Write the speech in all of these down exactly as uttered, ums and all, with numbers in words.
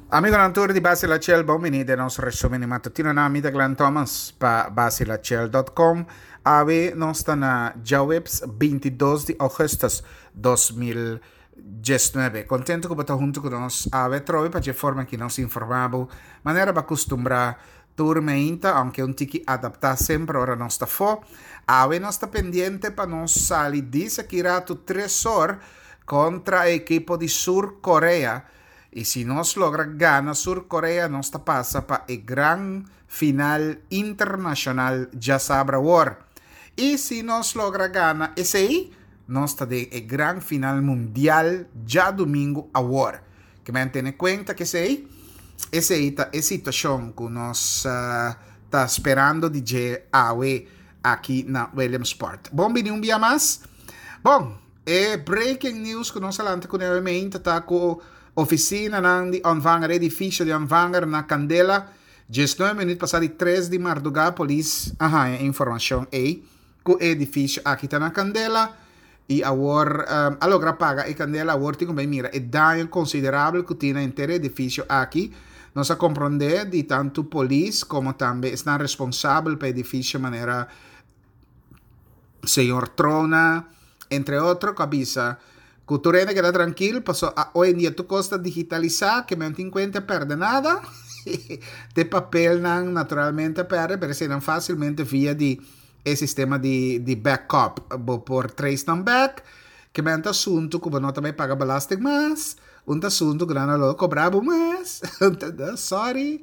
Amigonan tur di Basilachel, bon bini den nos resumen di matutino na mi ta Glenn Thomas pa basilachel dot com. Awe nos ta na djaweps bintidos di augustus dos mil diesnuebe. Contento cu bo ta hunto cu nos awe trobe pa dje forma ki nos informa bo manera bo a custumbra tur meinta, aunke un tiki adapta semper ora nos ta fo. Awe nos ta pendiente pa nos sali dis aki rato tres or contra e ekipo di Sur Korea. Y si nos logra gana Sur Korea, nos ta pasa pa e gran final internacional djasabra awor. Y si nos logra gana esey, nos ta den e gran final mundial djadumingo awor. Ke men tene cuenta ke esey, esey ta e situacion cu nos ta sperando di dje awe aki na Williamsport. Bon bini un bia mas. Bon, e breaking news cu nos a lanta cu ne meinta ta cu oficinanan di Ontvanger, edificio di Ontvanger na candela. Diesnuebe minuut pasa di tres di marduga polis a haña informacion ey cu e edificio aki ta na candela y awor a logra paga e candela. Awor tin cu bay mira e daño considerabel cu tin na henter e edificio aki. Nos a comprende di tanto polis como tambe esnan responsabel pa edificio manera señor Trona, entre otro, cu a bisa cu tur hende keda trankil, paso a hoy en dia tur cos ta digitalisa, ke men tin cuenta perde nada. Te papelnan naturalmente a perde, pero eseinan facilmente via di e sistema di, di backup bo por trace nan back. Ke men ta asunto cu bo no ta bay paga belasting mas, un ta asunto cu nan a lo cobra bo mas. Sorry.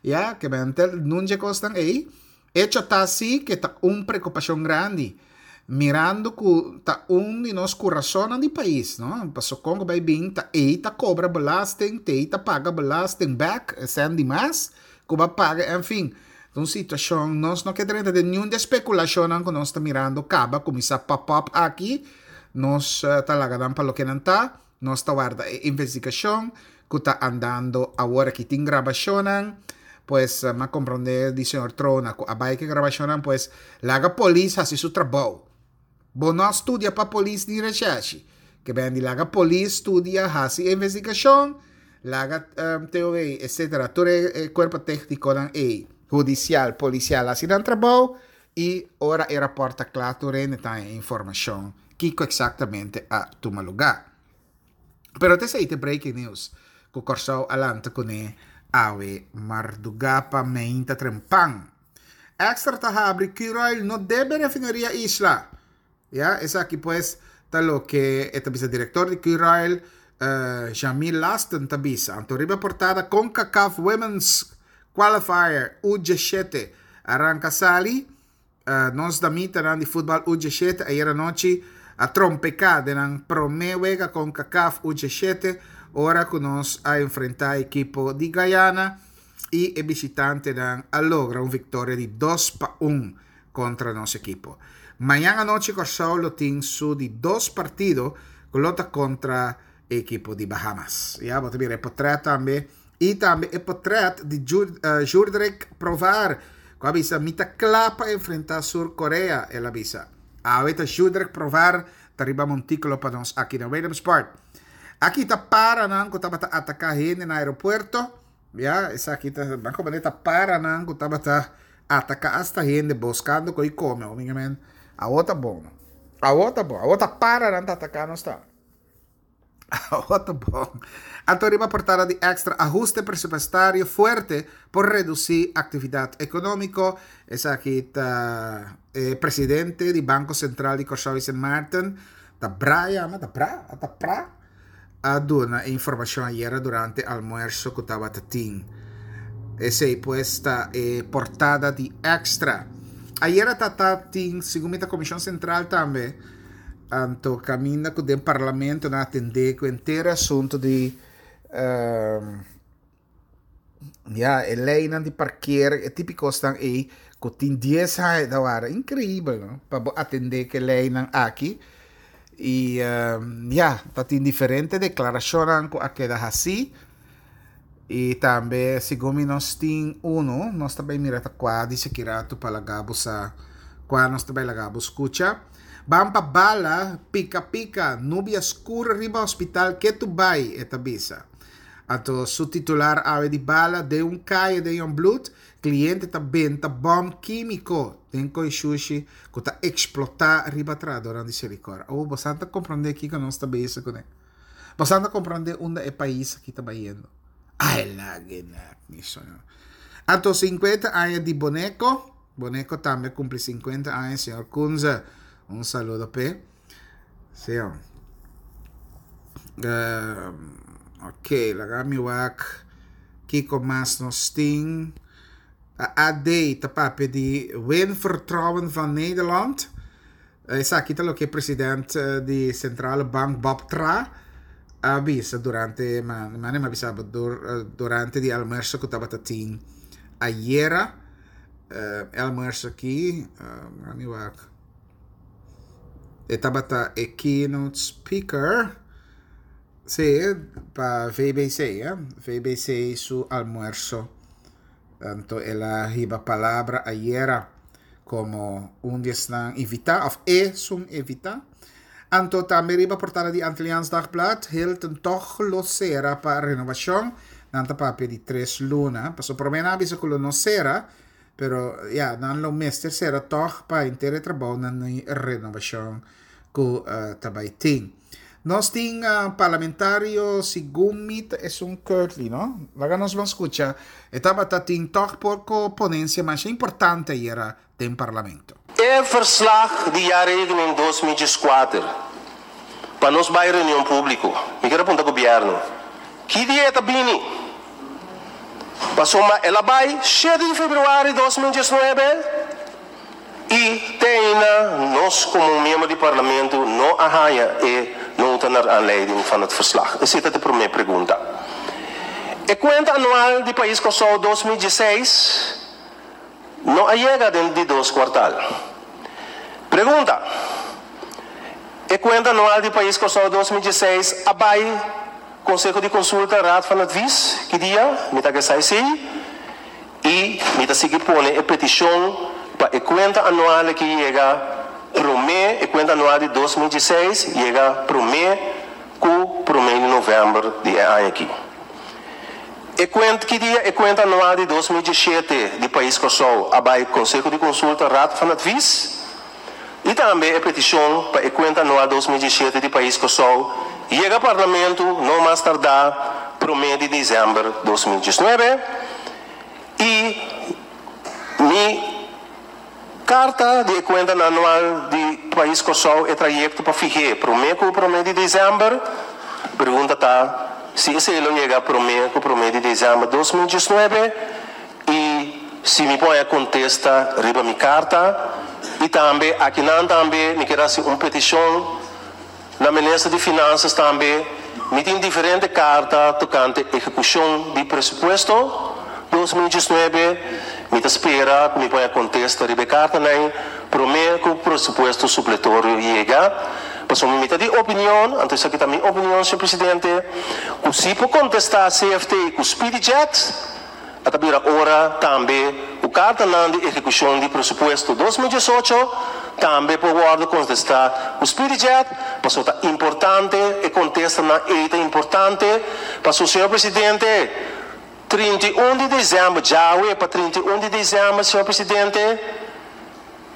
Ya, ke men ta nun dje cosnan ey. Hecho ta si ke ta un preocupacion grandi, mirando cu ta un di nos curasonnan di pais, no? Paso con cu bay bin ta ey ta cobra belasting, te ey ta paga belasting back, esnan di mas cu ba paga, en fin. Ta un situacion, nos no ke drenta den niun di e speculacionnan cu nos ta mirando caba cuminsa pop up aki, nos ta laga nan pa loke nan ta, nos ta warda e investigacion cu ta andando awor aki. Tin grabacionnan, pues m'a comprende di señor Trona cu a bay cu e grabacionnan, pues laga polis haci su trabou. Bo no a studia pa polis ni recherche. Ke ben di laga polis studia, haci investigacion, laga T O V, etcetera. Tur e cuerpo tecniconan ey, judicial, policial, haci nan trabou y ora e rapport ta cla tur hende ta haña informacion kico exactamente a tuma lugar. Pero te esey te breaking news cu Corsou a lanta cune awe marduga pa meinta trempan. Extra ta habri Curoil no debe refineria Isla. Ya, esaki pues ta loke e ta bisa director di Curoil, eh, Jamil Lasten ta bisa. Anto riba portada CONCACAF Women's Qualifier U diesshete arranca sali. Eh, nos damitanan di futbal U diesshete ayer anochi a trompeca den nan prome wega CONCACAF U diesshete ora cu nos a enfrenta ekipo di Guyana y e bishitantenan a logra un victoria di dos pa un contra nos ekipo. Mañan anochi Corsou lo tin su di dos partido cu lo ta contra ekipo di Bahamas. Ya, bo ta mira e potret tambe. Y tambe e potret di Jur-, eh, Jurdrek Provar, cu a bisa, mi ta cla pa enfrenta Sur Korea, el a bisa. Awe ta Jurdrek Provar ta riba montículo pa nos aki na Williamsport. Aki ta paranan cu tabata ataca hende na aeropuerto. Ya, esaki ta, ban como ta paranan cu tabata ataca hasta hende buscando coi come. O, minha men, awo ta bon. Awo ta bon. Awo ta paranan ta ataca nos ta. Awo ta bon. Anto riba portada di Extra, ajuste presupuestario fuerte por reducir actividad económico. Esaki ta, eh, presidente di Banco Central di Corsou y Sint Maarten, ta Brian, ta Bra, ta Pra, a duna informacion ayer durante almuerzo cu tabata tin. Ese pues ta, eh, portada di Extra. Ayer ta, ta tin, segun mi ta Comisión Central tambe, anto caminda cu den parlamento na atende cu entero asunto di, ehm, ya, e leynan di parkeer, e típico stan ei, cu tin dies aña da wara. Increíble, no? Pa bo atende cu leynan aki. Y, ehm, ya, ta tin diferente declaracionnan cu a keda hasi. Y tambe, segun mi nos tin uno, nos tambe mira ta cua dice ki rato pa laga bo sa, cua nos tambe laga bo scucha. Ban pa bala, pica pica, nubia scur riba hospital, que tu bai, e ta bisa. Anto su titular awe di bala den un kaya den Jongbloed, kliente ta benta bòm kímiko den koi shushi ku ta eksplotá riba trahadónan di Selikor. Oh, boso ta komprondé kiko nos ta bezig kuné. Boso ta komprondé unda e pais aki ta bayendo. Ai, lage na, mi soño. Anto sinkuenta aña di Boneco, Boneco tambe a kumpli sinkuenta aña, señor Kunze. Un saludo p'e. Sí. Uh, ok, laga mi wak kiko mas nos tin. A D ta papia di win vertrouwen van Nederland. Esaki ta loke presidente di Centrale Bank Bob Traa a bisa durante ma ma bisa durante di almuerso ku tabata tin ayera. Uh, almuerso aki, uh, mi wak. E tabata e keynote speaker. Sí, pa V B C, eh? V B C su almuerso. Anto el a hiba palabra ayera komo un di esnan invitá, òf esun invitá. Anto tambe riba portada di Antilliaans Dagblad, Hilton toch lo sera pa renovashon. Nan ta papia di tres luna. Paso promé nan a bisa ku no sera, pero ja, nan lo mester sera toch pa henter e trabounan renovashon ku uh, ta bai tin. Nos tin uh, parlamentario, segun mi ta Curtley, no? Laga nos ban skucha. E tabata tin toch poko ponensia mas importante ayera den parlamento. E verslag di jaarrekening dos mil dieskuater pa nos bai reunion públiko. Mi ke puntra gobièrnu. Ki dia ta bini? Pasobra el a bai shete di febrüari di dos mil diesnuebe i te ainda nos komo miembro di parlamento no a haña e nota naar aanleiding van het verslag. Esei ta e promé pregunta. E kuenta anual di Pais Kòrsou dos mil diesseis no a yega den di dos kwartal. Pregunta. E kuenta anual di Pais Kòrsou dos mil diesseis a bai Konseho di Konsulta, Raad van Advies, ki dia? Mi ta ke sa esei. I mi ta sigui pone e petishon pa e kuenta anual ku yega promé, e kuenta anual di dos mil diesseis yega promé ku promé di novèmber di e aña aki. E kuenta ki dia e kuenta anual di dos mil diesshete di Pais Kòrsou a bai Konseho di Konsulta, Raad van Advies, i tambe e petishon pa e kuenta anual dos mil diesshete di Pais Kòrsou yega parlamento no mas tardá promé di desèmber di dos mil diesnuebe. I mi karta di kuenta anual di Pais Kòrsou e trayekto pa fih'é promé ku promé di desèmber. Pregunta ta si esei lo yega promé ku promé di desèmber di dos mil diesnuebe i si mi por kontesta riba mi karta. I tambe akinan tambe mi ke hasi un petishon na minister di Finansa tambe. Mi tin diferente karta tokante ehekushon di presupuesto dos mil diesnuebe. Mi ta spera ku mi por kontesta riba e kartanan promé ku presupuesto supletorio yega. Pasobra mi ta di opinion, anto esaki ta mi opinion, señor presidente, ku si por kontestá C F T ku Speedy Jet, ta bira ora tambe e kartanan di ehekushon di presupuesto dos mil diesocho tambe por kontestá ku Speedy Jet, pasobra ta importante e kontestanan ta importante. Pasobra, señor presidente, trinta i un di desèmber, djawe pa trinta i un di desèmber, señor presidente,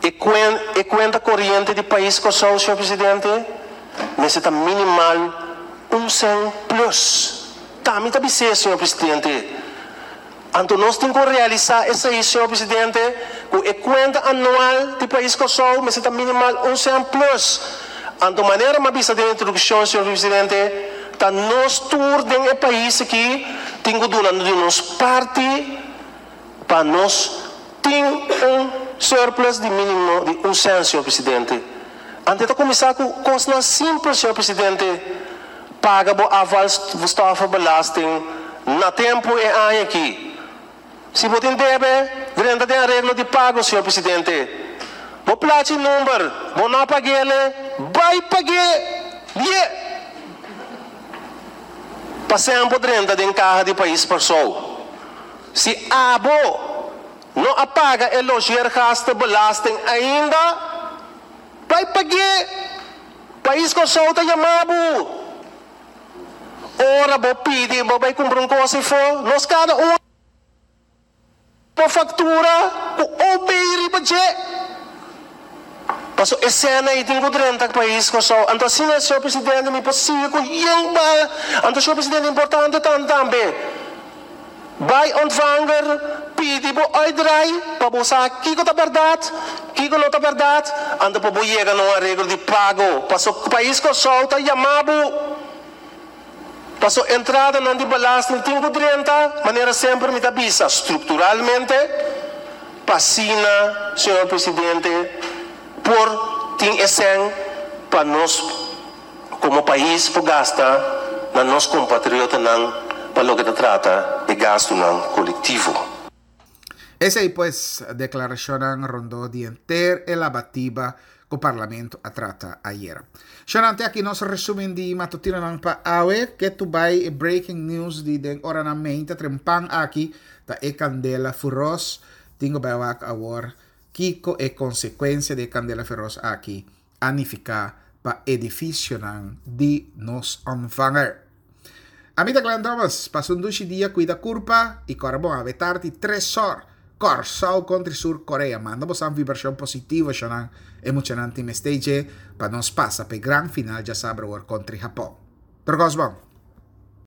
e kuenta, e kuenta koriente di Pais Kòrsou, señor presidente, mester ta minimal un sèn plus. Tambe ta bisa, señor presidente. Anto nos tin ku realisá esei, señor presidente, ku e kuenta anual di Pais Kòrsou mester ta minimal un sèn plus. Anto manera m'a bisa den introdukshon, señor presidente, ta nos tur den e pais aki tin ku duna di nos parti pa nos tin un surplus di mínimo di un sèn, señor presidente. Anto ta kuminsá ku kos simpel, señor presidente. Paga bo afvalstoffenbelasting na tempu e aña aki. Si bo tin debe, drenta den areglo di pago, señor presidente. Bo plachi number, bo no pag'é, bai pag'é. Yeah. Pa semper drenta den kaha di Pais Kòrsou. Si abo no a paga e logeergastenbelasting ainda, bai pag'é. Pais Kòrsou ta yama bo. Ora bo pidi, bo bai kumpra un kos afó, nos kada un por faktura ku O B riba dje. Paso e sèn ei tin ku drenta pais Kòrsou. Anto asina, señor presidente, mi por sigui ku yen bala. Anto, señor presidente, importante tan tambe. Bai ontvanger, pidi bo uitdraai, pa bo sa kiko ta bèrdat, kiko no ta bèrdat, anto pa bo yega na un areglo di pago. Paso pais Kòrsou ta yama bo. Paso entradanan di belasting tin ku drenta, manera semper mi ta bisa, strukturalmente, pa asina, señor presidente, por tin e sèn pa nos komo pais por gasta na nos kompatriotanan pa loke ta trata e gastunan kolektivo. Esei pues deklarashon rondó di henter e labatiba ku parlamento a trata ayera. Shonnan, te aki nos resúmen di matutinonan pa awe, ku tur bai e breaking news di den oranan mainta trempan aki ta e kandela feros tin ku bai wak awor kiko e konsekuensia di kandela feros aki a nifiká pa edifisionan di nos ontvanger. Ami ta Glenn Thomas, pasa un dushi dia, kuida kurpa i kòrda bon, awe tardi tres or, Kòrsou kontra Sur Korea. Manda boso vibrashon positivo, shonnan, e muchanan tin mester pa nos pasa pa gran final djasabra kontra Japon. Pero bon.